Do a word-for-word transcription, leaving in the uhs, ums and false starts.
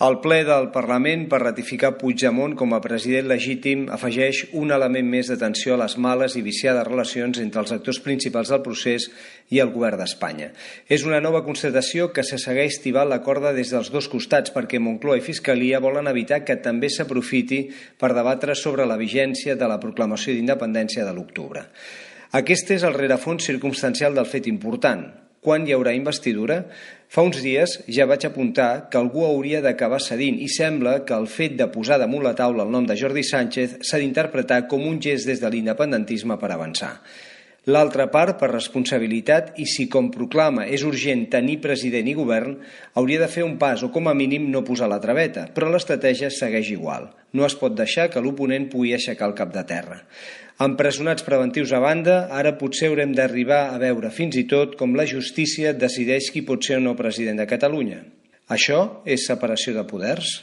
El ple del Parlament per ratificar Puigdemont com a president legítim afegeix un element més d'atenció a les males i viciades relacions entre els actors principals del procés i el govern d'Espanya. És una nova constatació que se segueix tibant la corda des dels dos costats perquè Moncloa i Fiscalia volen evitar que també s'aprofiti per debatre sobre la vigència de la proclamació d'independència de l'octubre. Aquest és el rerefons circumstancial del fet important. Quan hi haurà investidura? Fa uns dies ja vaig apuntar que algú hauria d'acabar cedint i sembla que el fet de posar damunt la taula el nom de Jordi Sánchez s'ha d'interpretar com un gest des de l'independentisme per avançar. L'altra part, per responsabilitat, i si com proclama és urgent tenir president i govern, hauria de fer un pas o com a mínim no posar la traveta, però l'estratègia segueix igual. No es pot deixar que l'oponent pugui aixecar el cap de terra. Empresonats preventius a banda, ara potser haurem d'arribar a veure fins i tot com la justícia decideix qui pot ser o no president de Catalunya. Això és separació de poders?